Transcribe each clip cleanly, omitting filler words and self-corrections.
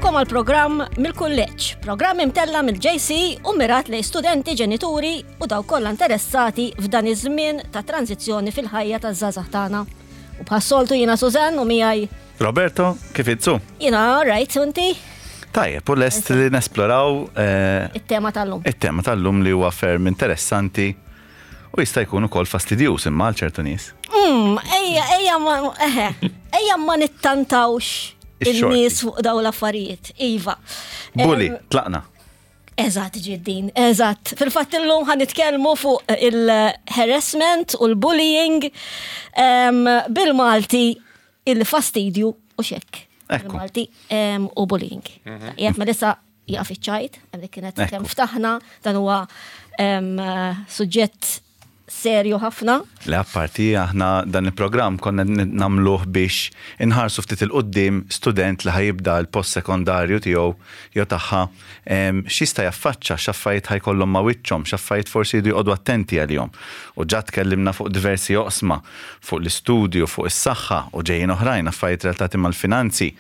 Nilqawkom għal programm mill-kulleġġ, programm imtella mill-JC u mirat lej studenti, ġenituri u daw kollha interessati f'dan iż-żmien ta' tranzizzjoni fil-ħajja taż-żgħażagħ tagħna. U bħas-soltu jiena Sużann u miegħi Roberto, kif itsu? Jiena right, inti? Tajjeb, u lest li nesploraw eh, it-tema tal-lum. It-tema tal-lum li huwa ferm interessanti u jista' jkun ukoll fastidjuż imma għal ċertu nies. Mm, ejja, ejja ma, eħe, ejja ma nittantawx il-nies fuq daw l-affarijiet. Iva. Bully, tlaqna. Eżatt ġiddin, eżatt. Fil-fatt illum ħan nitkellmu fuq il-harassment u l-bullying bil-Malti il-fastidju u xekk. Bil-Malti u bullying. Mhm. Jek ma lissa jaqaf iċ-ċajt, dik kienet kemm ftaħna, dan huwa suġġett serju ħafna. Le apparti aħna dan il-programm konna nagħmluh biex inħarsu ftit 'il quddiem student li ħa jibda l-post sekondarju tiegħu jew tagħha x'jista' jaffaċċa, x'affarijiet ħa jkollhom ma' wiċċhom, x'affarijiet forsi jridu joqogħdu attenti għalihom. U ġa tkellimna fuq diversi oqsma, fuq l-istudju, fuq is-saħħa u ġejjin oħrajn, affarijiet relatati mal-finanzi.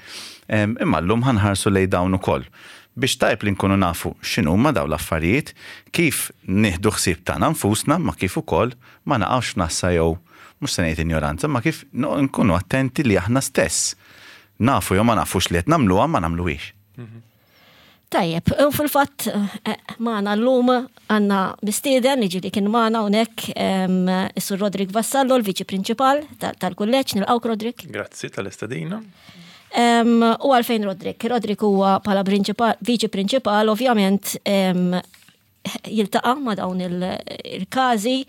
Imma llum ħa nħarsu lejn dawn ukoll. Biex tajjeb li nkunu nafu x'inhuma dawn l-affarijiet, kif nieħdu ħsieb tagħna nfusna ma kif ukoll ma naqgħux f'nassa jew mhux se ngħid injoranza ma kif nkunu attenti li aħna stess nafu jew ma nafux li qed nagħmluha ma nagħmluhiex. Tajjeb, u fil-fatt eh, magħna llum għandna mistieden li ġieli kien magħna hawnhekk is-Sur Roderick Vassallo, l-Viċi Prinċipal tal-Kulleġġ, nilqgħuk Roderick. Grazzi tal-istedina. U għalfejn Roderick? Roderick huwa bħala viċi prinċipal ovvjament jiltaqa' ma' dawn il-każi,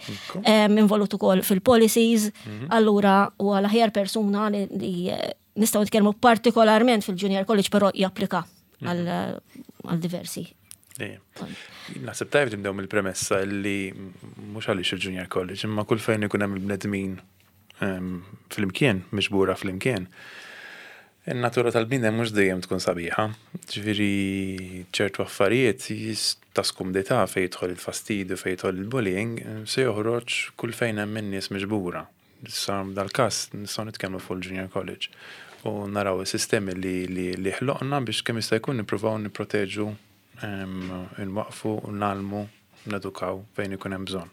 involut ukoll fil-policies, mhm. allura huwa l-aħjar persuna li nistgħu nitkellmu partikolarment fil-junior college però japplika mhm. għal diversi. Naħseb tajb nibdew mill-premessa li mhux għaliex il-junior college, imma kull fejn ikun hemm il-bnedmin flimkien, miġbura flimkien, in-natura tal-bniedem mhux dejjem tkun sabiħa. Ġifieri ċertu affarijiet ta' skumdità fejn jidħol il-fastidju, fejn jidħol il-bullying, se joħroġ kull fejn hemm in-nies miġbura. Issa dal-każ nistgħu nitkellmu fuq il-junior college u naraw is-sistemi li li ħloqna biex kemm jista' jkun nippruvaw nipproteġu, inwaqqfu, ngħallmu, nedukaw fejn ikun hemm bżonn.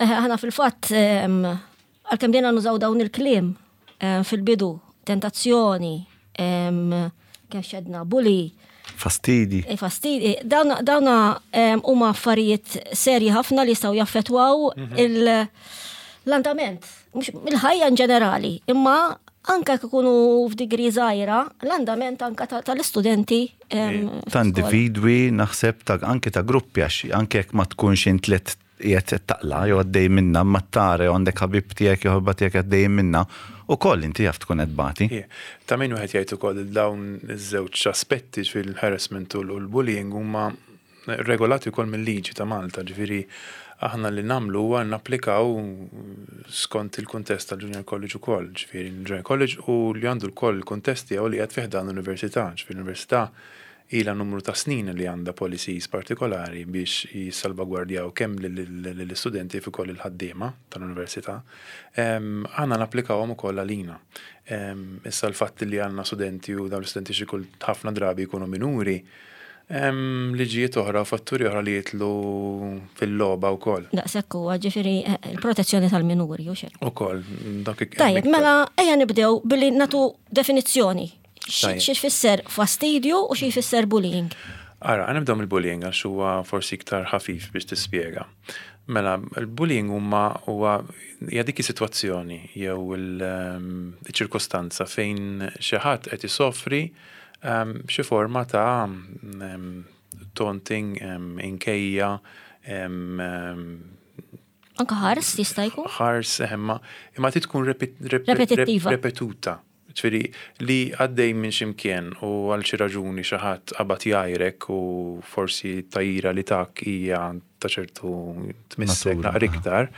Aħna fil-fatt għalkemm bdejna nużaw dawn il-kliem fil-bidu, tentazzjoni, kemm xedna, bully. Fastidi. Eh, fastidi. Dawna huma affarijiet serji ħafna li jistgħu jaffettwaw mhm. l-andament, il-ħajja in ġenerali, imma anka ikunu f'digri żgħira, l-andament anka tal-istudenti. Ta' individwi naħseb ta' anke ta' gruppi għax anke jekk ma tkunx int li qiegħed taqla' jew għaddej minnha imma tara jew għandek ħabib tiegħek jew ħabiba tiegħek għaddejjin minnha, ukoll inti jaf tkun qed tbati. Ta' min wieħed jgħid ukoll li dawn iż-żewġ aspetti, ġifieri l-harassment u l-bullying huma regolati wkoll mil-liġi ta' Malta, ġifieri aħna li nagħmlu huwa napplikaw skont il-kuntest tal-Junior College ukoll, ġifieri l-Junior College u li għandu wkoll il-kuntest tiegħu li qiegħed fi ħdan l-università, ġifieri l-università ilha numru ta' snin li għandha policies partikolari biex jissalvagwardjaw kemm lill-istudenti kif ukoll il-ħaddiema tal-università. Aħna napplikawhom ukoll għalina. Issa l-fatt li għandna studenti u dawn l-istudenti xi kull ħafna drabi jkunu minuri, Hemm liġijiet oħra u fatturi oħra li jidħlu fil-logħba wkoll. Daqshekk huwa, ġifieri l-protezzjoni tal-minuri u xejn. Ukoll, dak Tajjeb, mela ejja nibdew billi nagħtu definizzjoni. Xi jfisser fastidju u xi jfisser bullying? Ara, nibdew mill-bullying għax huwa forsi iktar ħafif biex tispjega. Mela, il-bullying huma huwa hija dik is-sitwazzjoni jew il-ċirkostanza fejn xi ħadd qed isofri Xi forma ta' taunting, inkejja. Anka ħars jista' jkun? Ħars, imma imma trid tkun repetittiva. Repetuta. Ġifieri li għaddej minn xi mkien u għal xi raġuni xi ħadd qabad jgħajrek u forsi t-tgħajjira li tak hija ta' ċertu tmissek naqra iktar,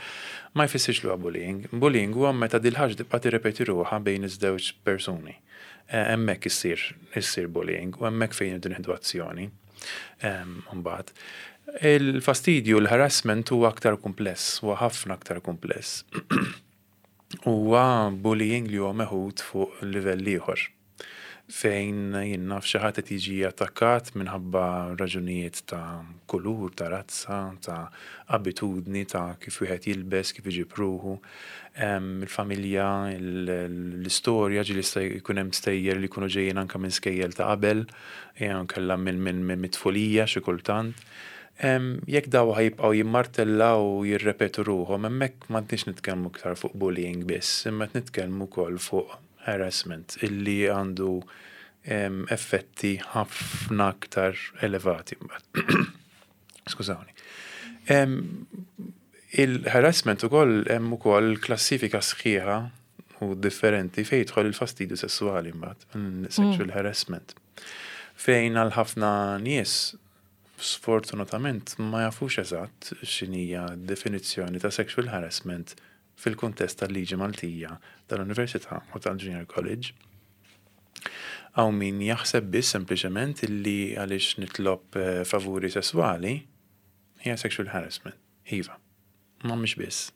ma jfissirx li huwa bullying. Bullying huwa meta dil-ħaġa tibqa' tirrepeti ruħha bejn iż-żewġ persuni. Hemmhekk issir issir bullying u hemmhekk fejn irridu nieħdu azzjoni. Imbagħad. Il-fastidju, l-harassment huwa aktar kumpless, huwa ħafna aktar kumpless. Huwa bullying li huwa meħud fuq livell ieħor. Fejn jien naf xi ħadd qed jiġi attakkat minħabba raġunijiet ta' kulur, ta' razza, ta' abitudni, ta' kif wieħed jilbes, kif iġib ruħu, il-familja, l-istorja, ġieli jista' jkun hemm stejjer li jkunu ġejjin anke minn skejjel ta' qabel, jew inkella minn mit-tfulija xi kultant. Jekk dawn ħa jibqgħu jimmartellaw u jirrepetu ruħhom, hemmhekk m'għadniex nitkellmu iktar fuq bullying biss, imma qed nitkellmu wkoll fuq harassment illi għandu effetti ħafna aktar elevati mbagħad. Skużawni. Il-harassment ukoll hemm ukoll klassifika sħiħa u differenti fejn jidħol il-fastidju sessuali mbagħad, sexual harassment. Fejn għal ħafna nies sfortunatament ma jafux eżatt x'inhija d-definizzjoni ta' sexual harassment fil-kuntest tal-liġi Maltija tal-Università u tal-Junior College. Hawn min jaħseb biss sempliċement illi għaliex nitlob favuri sesswali hija sexual harassment. Iva, ma mhix biss.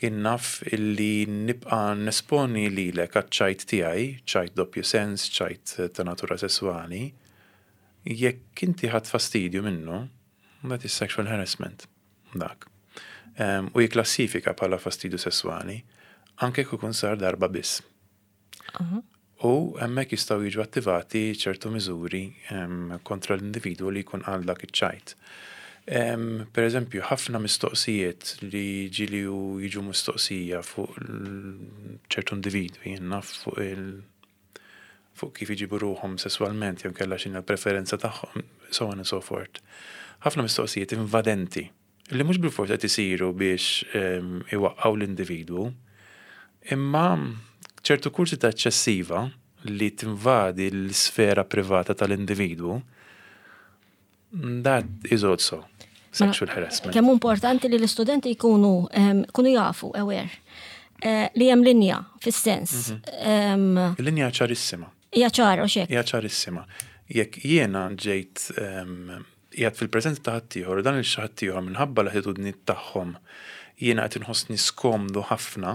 Jien naf illi nibqa' nesponi lilek għaċ-ċajt tiegħi, ċajt doppju sens, ċajt ta' natura sesswali, jekk inti ħadt fastidju minnu, that is sexual harassment. Dak. U jikklassifika bħala fastidju sesswali, anke jekk ikun sar darba biss. U hemmhekk jistgħu jiġu attivati ċertu miżuri kontra l-individwu li jkun qal dak iċ-ċajt. Per eżempju, ħafna mistoqsijiet li ġieli jiġu mistoqsija fuq ċertu individwi, jien naf fuq il fuq kif iġibu ruħhom sesswalment jew kellha x'inhi l-preferenza tagħhom, so on and so forth. Ħafna mistoqsijiet invadenti li mhux bilfors qed isiru biex iwaqqgħu l-individwu, imma ċertu kurżità eċċessiva li tinvadi l-isfera privata tal-individwu, that is also sexual harassment. Kemm importanti li l-istudenti jkunu kunu jafu, aware, li hemm linja fis-sens. Il-linja ċarissima. Hija ċara, u xek. Hija ċarissima. Jekk jiena ġejt qiegħed fil-preżenza ta' ħaddieħor u dan il xi ħaddieħor minħabba l-attitudni tagħhom jiena qed inħossni skomdu ħafna,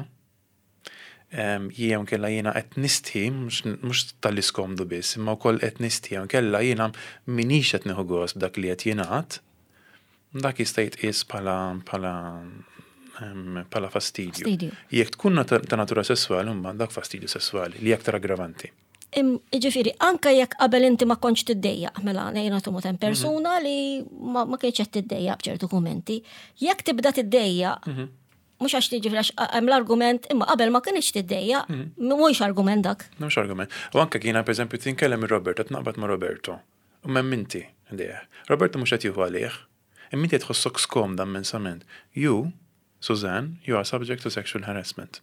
jew inkella jiena qed nistħi, mhux talli skomdu biss, imma wkoll qed nistħi, jew inkella jiena m'iniex qed nieħu gost b'dak li qed jingħad, dak jista' jitqies bħala bħala bħala fastidju. Jekk tkun ta' natura sesswali, mbagħad dak fastidju sesswali li aktar aggravanti. Ġifieri, anke jekk qabel inti ma kontx tiddejjaq, mela ngħid nagħtu hemm persuna li ma kienx qed tiddejjaq b'ċertu kummenti, jekk tibda tiddejjaq, mhux għax tiġi għax hemm l-argument, imma qabel ma kienx tiddejjaq, mhuwiex argument dak. Mhux argument. U anke kiena pereżempju tinkellem ir-Roberto, tnaqbad ma' Roberto. U m'hemm inti ħdejh. Roberto mhux qed jieħu għalih, imma inti qed tħossok skomda immensament. You, Suzanne, you are subject to sexual harassment.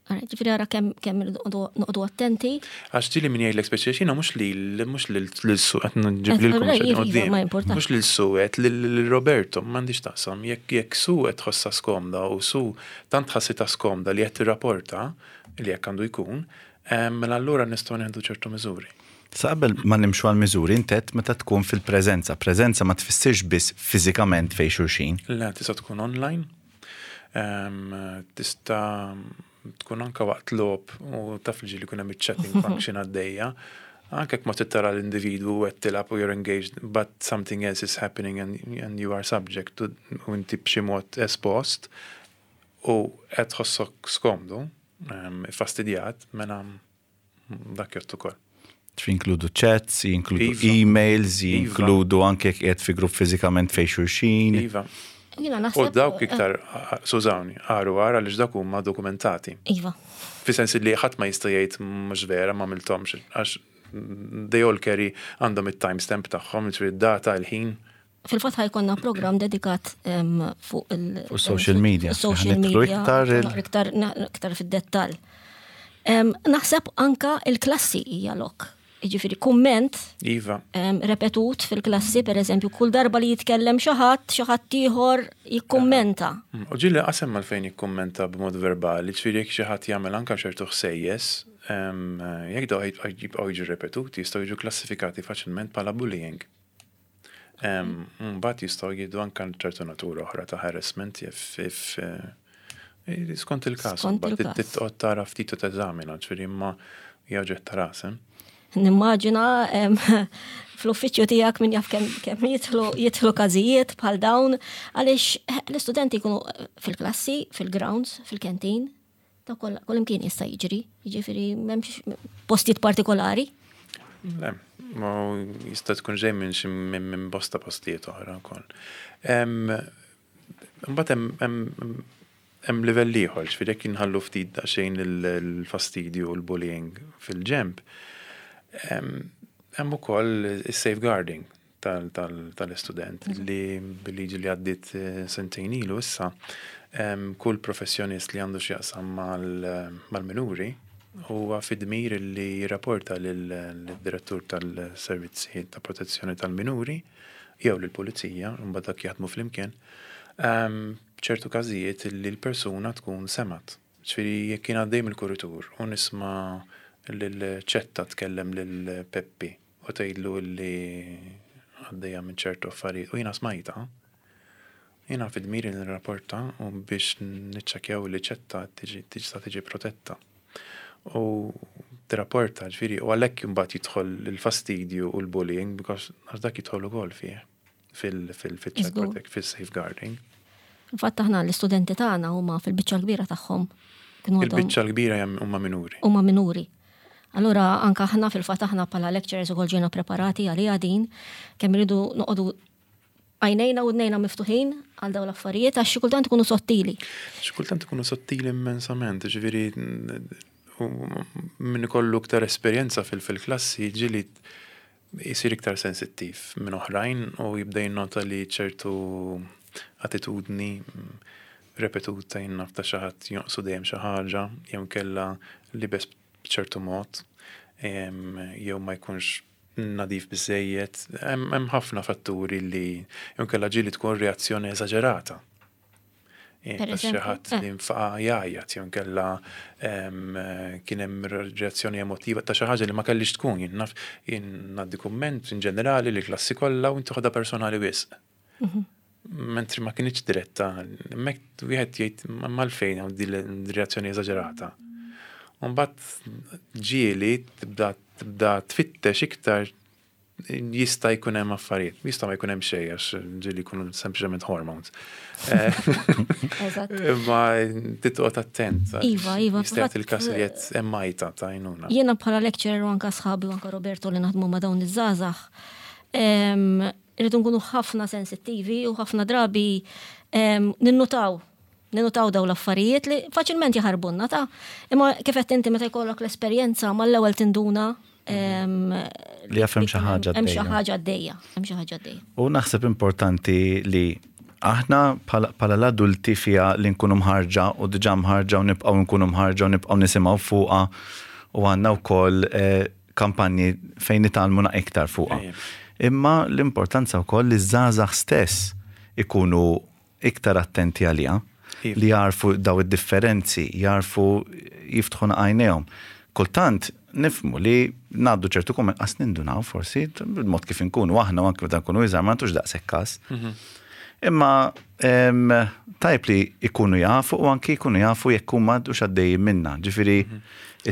Ġifieri ara kemm kemm noqogħdu attenti. Għax ġieli min jgħidlek speċi xina mhux li mhux lil su qed nġib lilkom quddiem. Mhux lil Su qed lil Roberto m'għandix taqsam. Jekk jekk Su qed tħossha skomda u Su tant ħassitha skomda li qed tirrapporta li hekk għandu jkun, mela allura nistgħu nieħdu ċertu miżuri. Sa qabel ma nimxu għal miżuri, inti għedt meta tkun fil-preżenza. Preżenza ma tfissirx biss fiżikament fejn xulxin. Le, tista' tkun online, tista' tkun anke waqt logħob u taf li ġieli jkun hemm iċ-chatting function għaddejja. Anke jekk ma trid tara l-individwu qed tilgħab u you're engaged but something else is happening and, and you are subject to u inti b'xi mod espost u qed tħossok skomdu, fastidjat, mela dak jgħodd ukoll. Jinkludu chats, jinkludu iva. emails, iva. jinkludu anke jekk qiegħed fi grupp fiżikament fejn xulxin. Iva. U dawk eh. iktar, sużawni, għaru għara għaliex dak huma dokumentati. Iva. Fi sens li ħadd ma jista' jgħid mhux vera ma għamilthomx għax they all carry għandhom it-timestamp tagħhom, jiġifieri data il-ħin. Fil-fatt ħa jkollna program dedikat fuq il- social media. Social media. Iktar iktar fid-dettall. Naħseb anka il-klassi hija lok. Jiġifieri kumment iva. repetut fil-klassi, per eżempju, kull darba li jitkellem xi ħadd, xi ħadd ieħor jikkummenta. U ġieli qasem għalfejn jikkummenta b'mod verbali, ġifieri jekk xi ħadd jagħmel anka ċertu ħsejjes, jekk daw jibqgħu jiġu repetuti, jistgħu jiġu klassifikati faċilment bħala bullying. Mbagħad jistgħu jieħdu anke ċertu natura oħra ta' harassment if eh, skont il-każ. Mbagħad titqgħod tara ftit u teżamina, ġifieri imma hija oġġett ta' ras. Eh? Nimmaġina fl-uffiċċju tiegħek min jaf kemm jidħlu jidħlu każijiet bħal dawn għaliex l-istudenti jkunu fil-klassi, fil-grounds, fil-canteen, ta' kullimkien jista' jiġri, jiġifieri m'hemmx postijiet partikolari. Le, ma jista' tkun ġej minn xi minn bosta postijiet oħra wkoll. Imbagħad hemm livell ieħor, ġifieri jekk inħallu ftit daqsxejn il-fastidju u l-bullying fil-ġenb, hemm ukoll is-safeguarding tal-istudent li bil-liġi li għaddiet sentejn ilu issa kull professjonist li għandu x'jaqsam mal-minuri huwa fid-dmir li jirrapporta lid-direttur tal-servizzi ta' protezzjoni tal-minuri jew lill-pulizija, imbagħad dak jaħdmu flimkien, b'ċertu każijiet li l-persuna tkun semgħet. Ġifieri jekk jien għaddej mill-kuritur u nisma' lil Ċetta tkellem lil Peppi u tgħidlu li għaddejja minn ċertu affarijiet u jiena smajtha, jiena fid-dmir li nirrapporta u biex niċċekkjaw li Ċetta tista' tiġi protetta. U tirrapporta, ġifieri, u għalhekk imbagħad jidħol il-fastidju u l-bullying because għax dak jidħol ukoll fih fil-child protect, fil-safeguarding. Infatti aħna l-istudenti tagħna huma fil-biċċa l-kbira tagħhom. Il-biċċa l-kbira huma minuri. Huma minuri. Allura anka aħna fil-fatt aħna bħala lecturers ukoll ġejna preparati għaliha din kemm iridu noqogħdu għajnejna u dnejna miftuħin għal dawn l-affarijiet għax xi kultant ikunu sottili. Xi kultant ikunu sottili immensament, ġifieri min ikollu iktar esperjenza fil-klassi ġieli jsir iktar sensittiv minn oħrajn u jibda jinnota li ċertu attitudni repetuta jien naf ta' xi ħadd jonqsu dejjem xi ħaġa jew inkella libes b'ċertu mod jew ma jkunx nadif biżżejjed. Hemm ħafna fatturi li jew inkella ġieli tkun reazzjoni eżaġerata. Ta' xi ħadd li nfaqa' jgħajjat jew inkella kien hemm reazzjoni emotiva ta' xi ħaġa li ma kellhiex tkun. Jien naf jien ngħaddi kumment in ġenerali lill-klassi kollha u inti toħodha personali wisq. Mentri ma kinitx diretta, hemmhekk wieħed jgħid imma għalfejn hawn din reazzjoni eżaġerata. U mbagħad ġieli tibda tibda tfittex iktar jista' jkun hemm affarijiet, jista' ma jkun hemm xejn għax ġieli jkunu sempliċement hormones. Imma titqgħod attent. Iva, iva. Jista' jagħti il-każ li qed hemm għajta ta' għajnuna. Jiena bħala lecturer u anke sħabi u anke Roberto li naħdmu ma' dawn iż-żgħażagħ, irridu nkunu ħafna sensittivi u ħafna drabi ninnutaw ninnutaw daw l-affarijiet li faċilment jaħarbunna ta' imma kif qed inti meta jkollok l-esperjenza mal-ewwel tinduna li jaf hemm xi ħaġa hemm xi ħaġa għaddejja, hemm xi ħaġa għaddejja. U naħseb importanti li aħna bħala l-adulti fiha li nkunu mħarġa u diġà mħarġa u nibqgħu nkunu mħarġa u nibqgħu nisimgħu fuqha u għandna wkoll eh, kampanji fejn nitgħallmu iktar fuqha. Imma l-importanza wkoll li ż-żgħażagħ stess ikunu iktar attenti għaliha, li jagħrfu daw id-differenzi, jagħrfu jiftħu għajnejhom. Kultant nifhmu li ngħaddu ċertu kumment qas nindunaw forsi bil-mod kif inkunu aħna u anke meta nkunu iżgħar ma nagħtux daqshekk każ. Imma tajb li jkunu jafu u anki jkunu jafu jekk huma għaddux għaddejjin minna. Ġifieri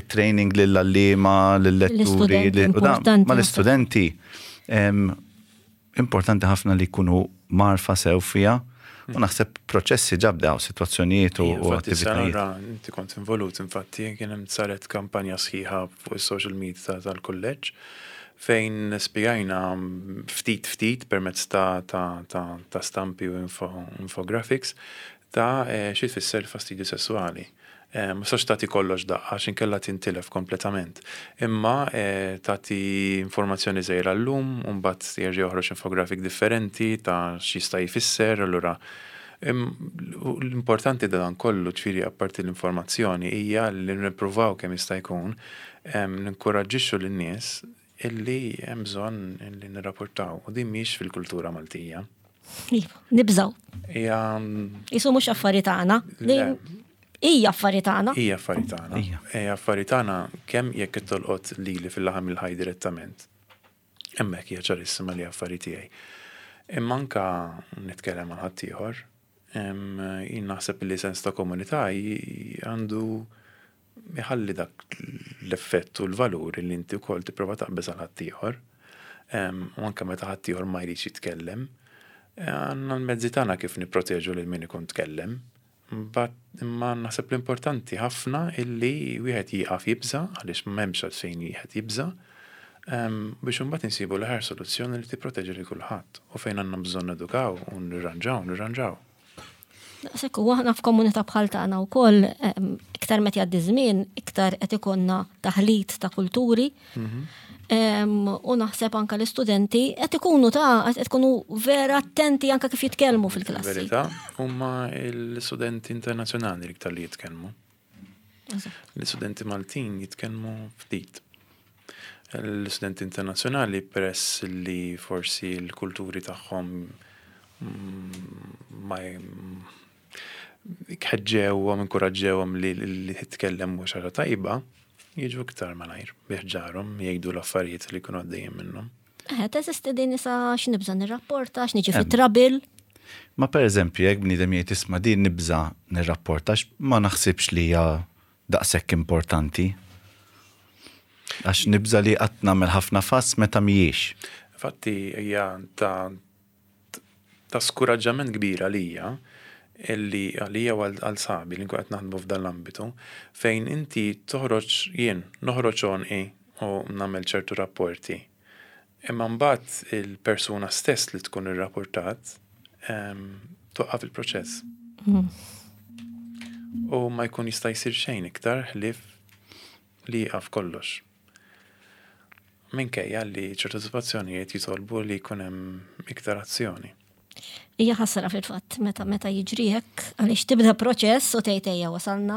it-training lill-għalliema, lill-letturi, mal-istudenti. Importanti ħafna li jkunu mgħarrfa sew fiha u naħseb proċessi ġa bdew, sitwazzjonijiet u attivitajiet. Inti kont involut, infatti kien hemm saret kampanja sħiħa fuq is-social media tal-kulleġġ fejn spjegajna ftit ftit permezz ta' stampi u infographics ta' xi tfisser il-fastidju sesswali. Ma tistax tagħti kollox daqqa għax inkella tintilef kompletament. Imma tagħti informazzjoni żgħira llum u mbagħad jerġa' joħroġ infographic differenti ta' x'jista' jfisser, allura l-importanti ta' dan kollu, ġifieri apparti l-informazzjoni, hija li nippruvaw kemm jista' jkun ninkoraġġixxu lin-nies illi hemm bżonn illi nirrapportaw u din mhix fil-kultura Maltija. Iva, nibżgħu. Hija Isu mhux affari tagħna. Hija affari tagħna. Hija affari tagħna. Hija affari tagħna kemm jekk tolqot lili fil-laħam il-ħaj direttament. Hemmhekk hija ċarissima li affari tiegħi. Imma anka nitkellem ma' ħaddieħor, jien naħseb li sens ta' komunità għandu Iħalli dak l-effett u l-valur li inti wkoll tipprova taqbeż għal ħaddieħor. U anke meta ħaddieħor ma jridx jitkellem, għandna l-mezzi tagħna kif nipproteġu lil min ikun tkellem. Imma naħseb l-importanti ħafna illi wieħed jieqaf jibża' għaliex m'hemmx għalfejn wieħed jibża' biex imbagħad insibu l-aħjar soluzzjoni li tipproteġi lil kulħadd. U fejn għandna bżonn nedukaw u nirranġaw, nirranġaw. Daqshekk u aħna f'komunità bħal tagħna wkoll iktar meta jgħaddi żmien, iktar qed ikollna taħlit ta' kulturi. U naħseb anka l-istudenti qed ikunu ta' qed ikunu vera attenti anka kif jitkellmu fil-klassi. Verità, huma l-istudenti internazzjonali l-iktar li jitkellmu. L-istudenti Maltin jitkellmu ftit. L-istudenti internazzjonali peress li forsi l-kulturi tagħhom ma ħeġġewhom, inkoraġġewhom li li titkellem mhux ħaġa tajba, jiġu iktar malajr bi ħġarhom jgħidu l-affarijiet li jkunu għaddejjin minnhom. Eh, teżisti din isa x'nibża' nirrapporta, x'niġi fi trouble. Ma per eżempju, jekk bniedem jgħid isma' din nibża' nirrapporta ma naħsibx li hija daqshekk importanti. Għax nibża' li qatt nagħmel ħafna fass meta mhijiex. Infatti hija ta' ta' skuraġġament kbir għalija illi għalija u għal sħabi li nkun qed naħdmu f'dan l-ambitu fejn inti toħroġ jien noħroġ għonqi u nagħmel ċertu rapporti. Imma mbagħad il-persuna stess li tkun irrapportat twaqqaf il-proċess. U ma jkun jista' jsir xejn iktar ħlief li jieqaf kollox. Minkejja li ċertu sitwazzjonijiet jitolbu li jkun hemm iktar azzjoni. Hija ħasra fil-fatt meta meta jiġri hekk għaliex tibda proċess u tgħid ejja wasalna.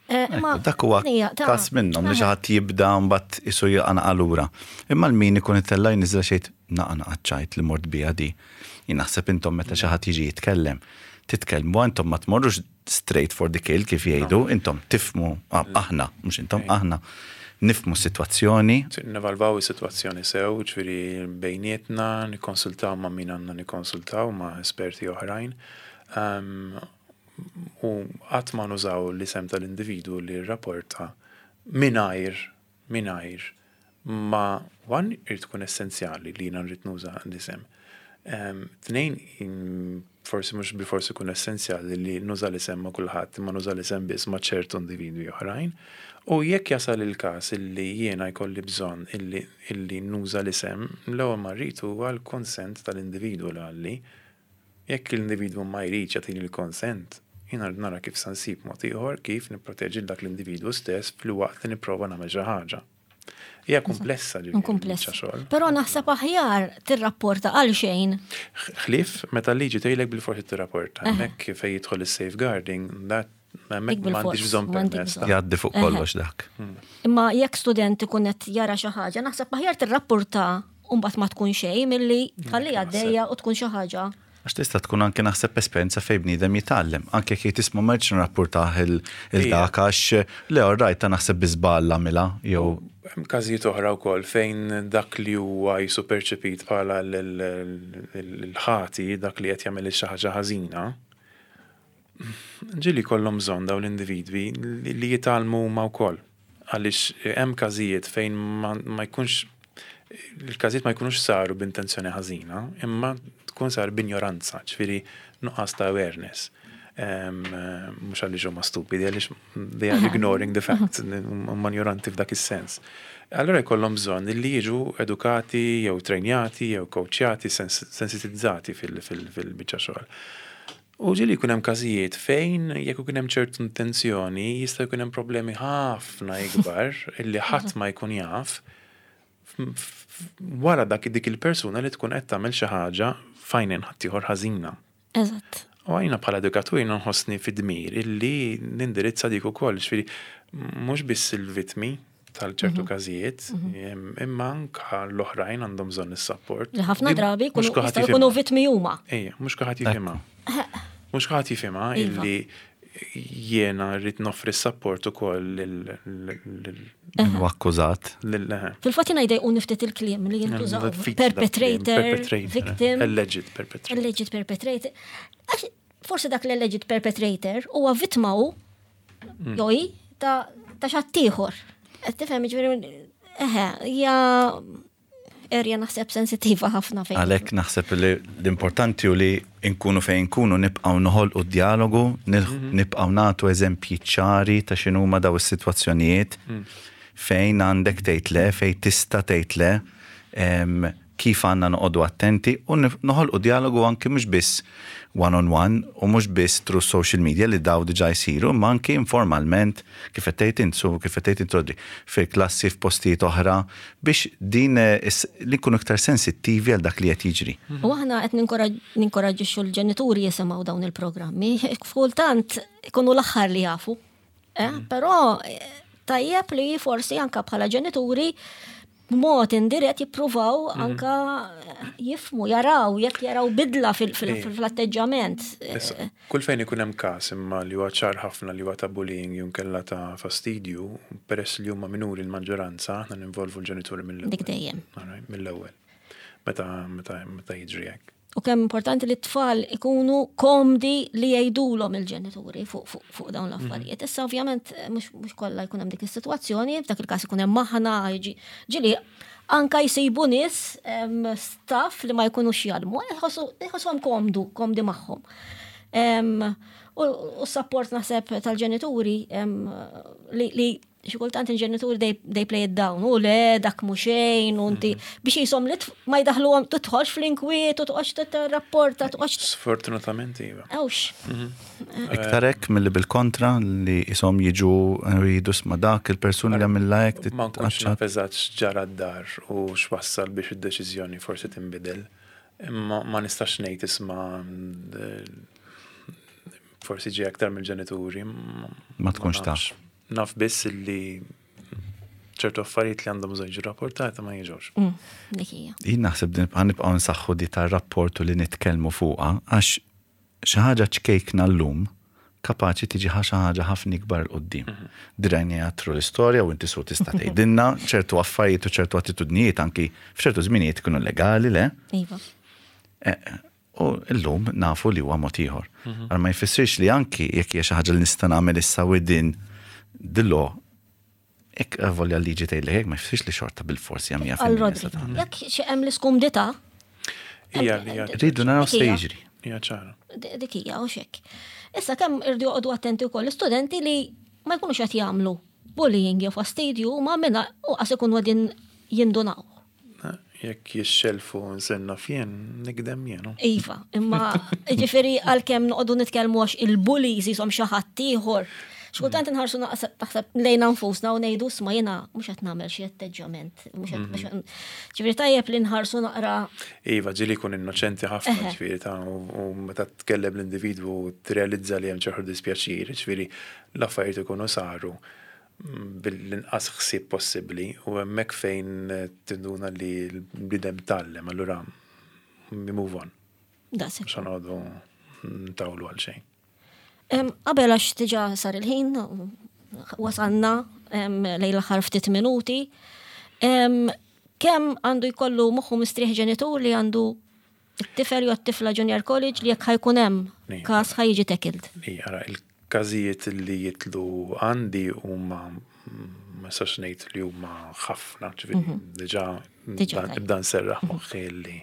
Eh, imma dak huwa każ minnhom li xi ħadd jibda mbagħad isu jaqna lura. Imma l-min ikun itella' jniżel xejn naqa' naqa' ċajt li mort biha di. Jien naħseb intom meta xi ħadd jiġi jitkellem, titkellmu intom ma tmorrux straight for the kill kif jgħidu, intom tifhmu, aħna, mhux intom, aħna nifhmu s-sitwazzjoni. Nevalvaw is-sitwazzjoni sew, ġifieri bejnietna, nikkonsultaw ma' min għandna nikkonsultaw ma' esperti oħrajn. U qatt ma nużaw l-isem tal-individwu li rrapporta mingħajr mingħajr ma one irid tkun essenzjali li jiena nrid nuża l-isem. Tnejn forsi mhux bilfors ikun essenzjali li nuża l-isem ma' kulħadd imma nuża l-isem biss ma' ċertu individwi oħrajn. U jekk jasal il-każ illi jiena jkolli bżonn illi illi nuża l-isem, l-ewwel ma rrid huwa l-konsent tal-individwu li qalli. Jekk l-individwu ma jridx jagħtini l-konsent, jiena rrid nara kif sa nsib mod ieħor kif nipproteġi 'l dak l-individwu stess filwaqt li nipprova nagħmel xi ħaġa. Hija kumplessa ġifieri. Kumplessa. Xogħol. Però naħseb aħjar tirrapporta għal xejn. Ħlief meta l-liġi tgħidlek bilforsi tirrapporta. Hemmhekk fejn jidħol is-safeguarding, that hemmhekk m'għandix bżonn permess. Jgħaddi fuq kollox dak. Imma jekk student ikun qed jara xi ħaġa, naħseb aħjar tirrapporta u mbagħad ma tkun xejn milli tħalli għaddejja u tkun xi ħaġa. Għax tista' tkun anke naħseb esperjenza fejn bniedem jitgħallem. Anke jekk jgħid isma' ma rridx nirrappurtah il dak għax le all right ta' naħseb bi żball għamilha jew. Hemm każijiet oħra wkoll fejn dak li huwa jisu perċepit bħala l-ħati, dak li qed jagħmel xi ħaġa ħażina, ġieli jkollhom bżonn dawn l-individwi li jitgħallmu huma wkoll. Għaliex hemm każijiet fejn ma jkunx il-każijiet ma jkunux saru b'intenzjoni ħażina, imma tkun sar b'injoranza, ġifieri nuqqas ta' awareness. Mhux għaliex huma stupidi, għaliex they are ignoring the facts, huma ignoranti f'dak is-sens. Allura jkollhom bżonn li jiġu edukati jew trejnjati jew coachjati, sensitizzati fil-biċċa xogħol. U ġieli jkun hemm każijiet fejn jekk ikun hemm ċertu intenzjoni jista' jkun hemm problemi ħafna ikbar illi ħadd ma jkun jaf wara dak dik il-persuna li tkun qed tagħmel xi ħaġa f'għajnejn ħaddieħor ħażina. Eżatt. U għajna bħala edukatur jiena nħossni fid-dmir illi nindirizza dik ukoll, ġifieri mhux biss il-vittmi tal-ċertu każijiet, imma anka l-oħrajn għandhom bżonn is-support. Li ħafna drabi jistgħu jkunu vittmi huma. Ejja, mhux kulħadd jifhimha. Mhux kulħadd jifhimha illi jiena rrid noffri s-support ukoll lil Hu akkużat. Fil-fatt jiena jdejquni ftit il-kliem li jintużaw. Perpetrator, victim. Alleged perpetrator. Alleged perpetrator. Forsi dak l-alleged perpetrator huwa vittma hu jew hi ta' ta' xattieħor. Qed tifhem jiġifieri eħe, hija area naħseb sensittiva ħafna fejn. Għalhekk naħseb li l-importanti hu li nkunu fejn nkunu nibqgħu noħolqu d-djalogu, nibqgħu nagħtu eżempji ċari ta' x'inhuma daw is-sitwazzjonijiet fejn għandek tgħid le, fejn tista' tgħid le, kif għandna noqogħdu attenti u noħolqu djalogu anki mhux biss one on one u mhux biss through social media li daw diġà jsiru, imma anki informalment kif qed tgħid int, su kif qed tgħid int Rodri, fil-klassi f'postijiet oħra biex din li nkunu iktar sensittivi għal dak li qed jiġri. U aħna qed ninkoraġġixxu l-ġenituri jisimgħu dawn il-programmi. Kultant ikunu l-aħħar li jafu. Però tajjeb li forsi anka bħala ġenituri b'mod indirett jippruvaw anka jifmu, jaraw, jekk jaraw bidla fil-atteġġament. Kull fejn ikun hemm każ imma li huwa ċar ħafna li huwa ta' bullying jew inkella ta' fastidju, peress li huma minuri l-maġġoranza, aħna ninvolvu l-ġenituri mill-ewwel. Dik dejjem. Mill-ewwel. Meta meta meta jiġri hekk. U kemm importanti li t-tfal ikunu komdi li jgħidulhom il-ġenituri fuq dawn l-affarijiet. Issa ovvjament mhux kollha jkun hemm dik is-sitwazzjoni, f'dak il-każ ikun hemm aħna ġieli anka jsibu nies staff li ma jkunux jgħallmu, iħossuhom komdu, komdi magħhom. U s-support naħseb tal-ġenituri li xi kultant il-ġenituri they play it down, u le dak mhux xejn, u inti biex jisom li ma jdaħluhom tidħolx fl-inkwiet u toqgħodx tirrapporta, toqgħodx. Sfortunatament iva. Ewx. Iktar hekk milli bil-kontra li jisom jiġu jridu sma dak il-persuni li għamilha hekk. Ma nkunx naf eżatt x'ġara d-dar u x'wassal biex id-deċiżjoni forsi tinbidel. Imma ma nistax ngħid isma' forsi ġie aktar mill-ġenituri. Ma tkunx taf. Naf biss li ċertu affarijiet li għandhom bżonn jiġu rapportati ma jiġux. Dik hija. Jien naħseb din ħa nibqgħu nsaħħu di tar-rapport u li nitkellmu fuqha għax xi ħaġa ċkejkna llum kapaċi tiġi xi ħaġa ħafna ikbar 'il quddiem. Drajniha through l-istorja u inti su tista' tgħidilna ċertu affarijiet u ċertu attitudnijiet anki f'ċertu żminijiet kienu legali, le? Iva. U llum nafu li huwa mod ieħor. Għal ma jfissirx li anki jekk hija xi ħaġa li nista' nagħmel issa within the law, jekk volja l-liġi tgħidlek hekk ma jfissirx li xorta bil-forsi hija mija Għal fil-mija Rodri, se tagħmel. jekk xi hemm l-iskumdità, Hija li hija Rridu naraw se Dik hija. jiġri. Hija ċara. Dik hija u xek. Issa kemm irdu joqogħdu attenti wkoll l-istudenti li ma jkunux qed jagħmlu bullying jew fastidju ma minna u qas ikunu qegħdin jindunaw. Jekk jixxelfu nsenna fjen, nikdem jenu. Iva, imma ġifieri għalkemm noqogħdu nitkellmu għax il-bullies jisom xi ħadd ieħor. Xkultant inħarsu naħseb lejna nfusna u ngħidu sma jiena mhux qed nagħmel xi atteġġjament, mhux qed mhux qed- Ġifieri tajjeb li nħarsu naqra. Iva, ġieli jkun innoċenti ħafna, ġifieri ta' u meta tkellem l-individwu tirrealizza li hemm ċertu dispjaċir, ġifieri l-affarijiet ikunu saru bil-inqas ħsieb possibbli u hemmhekk fejn tinduna li l-bniedem tgħallem, allura we move on. Daqshekk. Mhux noqogħdu ntawlu għal xejn. Qabel għax diġà sar il-ħin, wasalna lejn l-aħħar ftit minuti. Kemm għandu jkollu moħħu mistrieħ ġenitur li għandu it-tifel jew t-tifla junior college li jekk ħa jkun hemm każ ħa jiġi tackled? Ija, ara, il-każijiet li jitlu għandi huma ma nistax ngħid li huma ħafna, ġifieri diġà Diġà tajjeb. nibda nserraħ moħħi li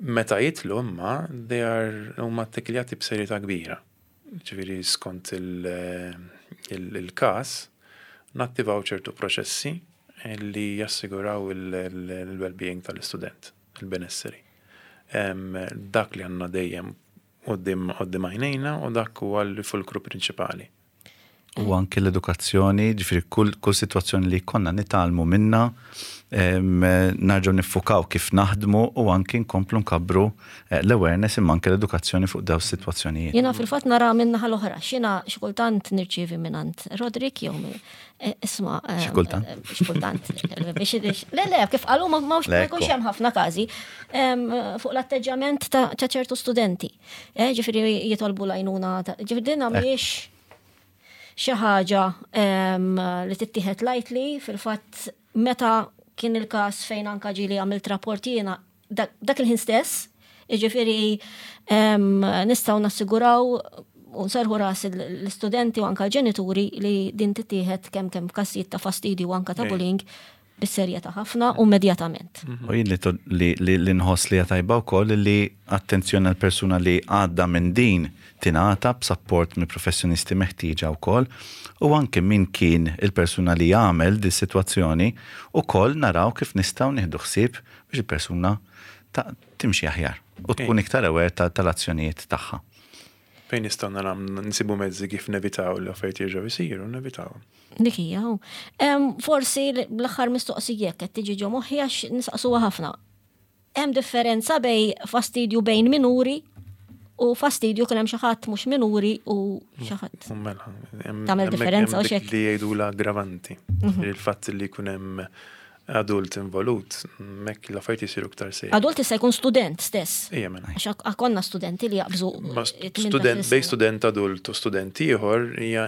meta jitlu imma they are huma ttekiljati b'serjetà kbira. Ġifieri skont il-każ nattivaw ċertu proċessi li jassiguraw il-well-being tal-istudent, il-benesseri. Dak li għandna dejjem quddiem għajnejna u dak huwa l-fulkru prinċipali. U anke l-edukazzjoni, ġifieri kull sitwazzjoni li konna nitgħallmu minna, nerġgħu niffukaw kif naħdmu u anke nkomplu nkabbru l-awareness imma anke l-edukazzjoni fuq daw is-sitwazzjonijiet. Jiena fil-fatt nara minnaħa l-oħra, x'jiena xi kultant nirċievi mingħand Roderick jew isma', Xi kultant? Xi kultant. Biex le, le, kif qalu ma Le, jkunx hemm ħafna każi fuq l-atteġġjament ta' ċertu studenti. Ġifieri jitolbu l-għajnuna ġifieri din mhijiex xi ħaġa li tittieħed lightly, fil-fatt meta kien il-każ fejn anka ġieli għamilt rapport jiena dak il-ħin stess, jiġifieri nistgħu nassiguraw U nserħu ras l-istudenti u anka l-ġenituri li din tittieħed kemm kemm f'każijiet ta' fastidju u anka ta' bullying bis-serjetà ħafna u immedjatament. U jien li li nħoss li hija tajba wkoll li attenzjoni għal persuna li għadda minn din tingħata b'sapport mill-professjonisti meħtieġa wkoll u anke min kien il-persuna li għamel dis-sitwazzjoni ukoll naraw kif nistgħu nieħdu ħsieb biex il-persuna timxi aħjar u tkun iktar aware tal-azzjonijiet tagħha. Fejn nistgħu naraw nsibu mezzi kif nevitaw li affarijiet jerġgħu jsiru, nevitawhom. Dik hija. Forsi l-aħħar mistoqsija qed tiġi ġo moħħi għax nisaqsuha ħafna. Hemm differenza bej fastidju bejn minuri u fastidju kien hemm xi ħadd mhux minuri u xi ħadd. Mela, tagħmel differenza u xek. Li jgħidu l-aggravanti. Il-fatt li jkun hemm adult involut, mek l-affarijiet jisiru iktar sejri. Adult jista' jkun student stess. Ija mela. Għax konna studenti li jaqbżu. Student, bej student adult u student ieħor hija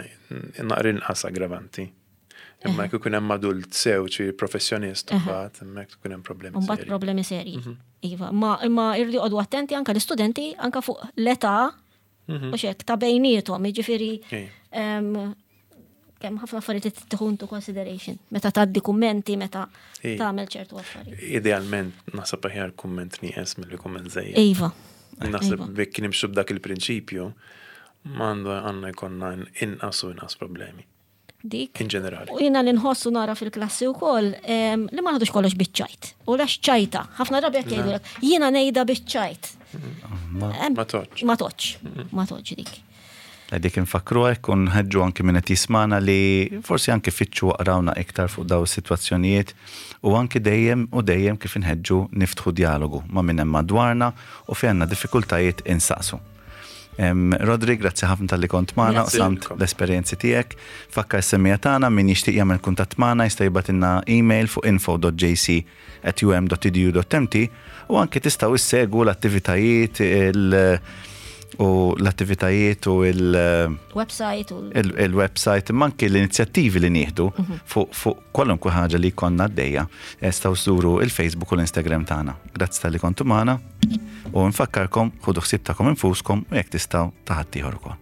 naqra inqas aggravanti. Imma jekk ikun hemm adult sew xi professjonist mbagħad hemmhekk ikun hemm problemi. Mbagħad problemi serji. Mhm. Iva, ma imma irridu joqogħdu attenti anke l-istudenti anke fuq l-età mhm. u xek ta' bejniethom, jiġifieri kemm ħafna affarijiet li tieħu into consideration meta tgħaddi kummenti, meta tagħmel ċertu affarijiet. Idealment naħseb aħjar kumment nieqes milli kumment żejjed. Iva. Naħseb jekk nimxu b'dak il-prinċipju, m'għandu għandna jkollna inqas u inqas problemi. Dik. In ġenerali. U jiena li nħossu nara fil-klassi wkoll li ma naħdux kollox biċ-ċajt. U lax ċajta, ħafna drabi jekk jgħidulek, jiena ngħidha biċ-ċajt. Ma toġġ. Ma toġġ, ma toġġ dik. Dik infakkru hekk u nħeġġu anki min qed jismagħna li forsi anki fittxu aqrawna iktar fuq daw is-sitwazzjonijiet u anki dejjem u dejjem kif inħeġġu niftħu djalogu ma' min hemm madwarna u fejn għandna diffikultajiet insaqsu. Rodri, grazzi ħafna talli kont magħna u samt l-esperjenzi tiegħek. Fakkar is-semmiegħa tagħna min jixtieq jagħmel kuntatt magħna jista' jibgħatilna email fuq info.jc at um.edu.mt u anke tistgħu issegwu l-attivitajiet il u l-attivitajiet u il- Website u il-website imma anke l-inizjattivi li nieħdu mhm. fuq fu kwalunkwe ħaġa li jkollna għaddejja. Tistgħu żuru il-Facebook u l-Instagram tagħna. Grazzi tal-li kontu magħna u nfakkarkom ħudu ħsieb tagħkom infuskom u jekk tistgħu ta' ħaddieħor ukoll.